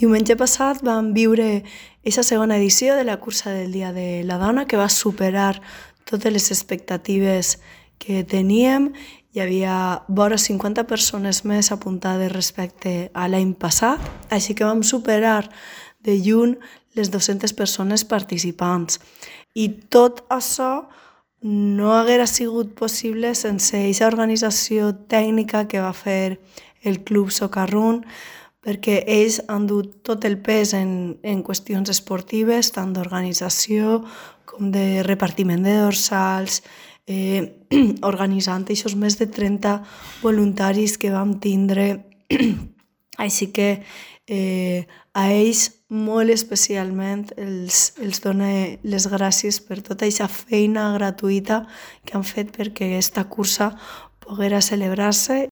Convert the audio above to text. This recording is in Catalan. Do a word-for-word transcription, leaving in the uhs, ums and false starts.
Diumenge passat vam viure aquesta segona edició de la cursa del Dia de la Dona, que va superar totes les expectatives que teníem. Hi havia vora cinquanta persones més apuntades respecte a l'any passat, així que vam superar de lluny les dues-centes persones participants. I tot això no haguera sigut possible sense aquesta organització tècnica que va fer el Club Socarrún, perquè ells han dut tot el pes en, en qüestions esportives, tant d'organització com de repartiment de dorsals, eh, organitzant aquests més de trenta voluntaris que vam tindre. Així que eh, a ells molt especialment els, els dono les gràcies per tota aquesta feina gratuïta que han fet perquè aquesta cursa poguera celebrar-se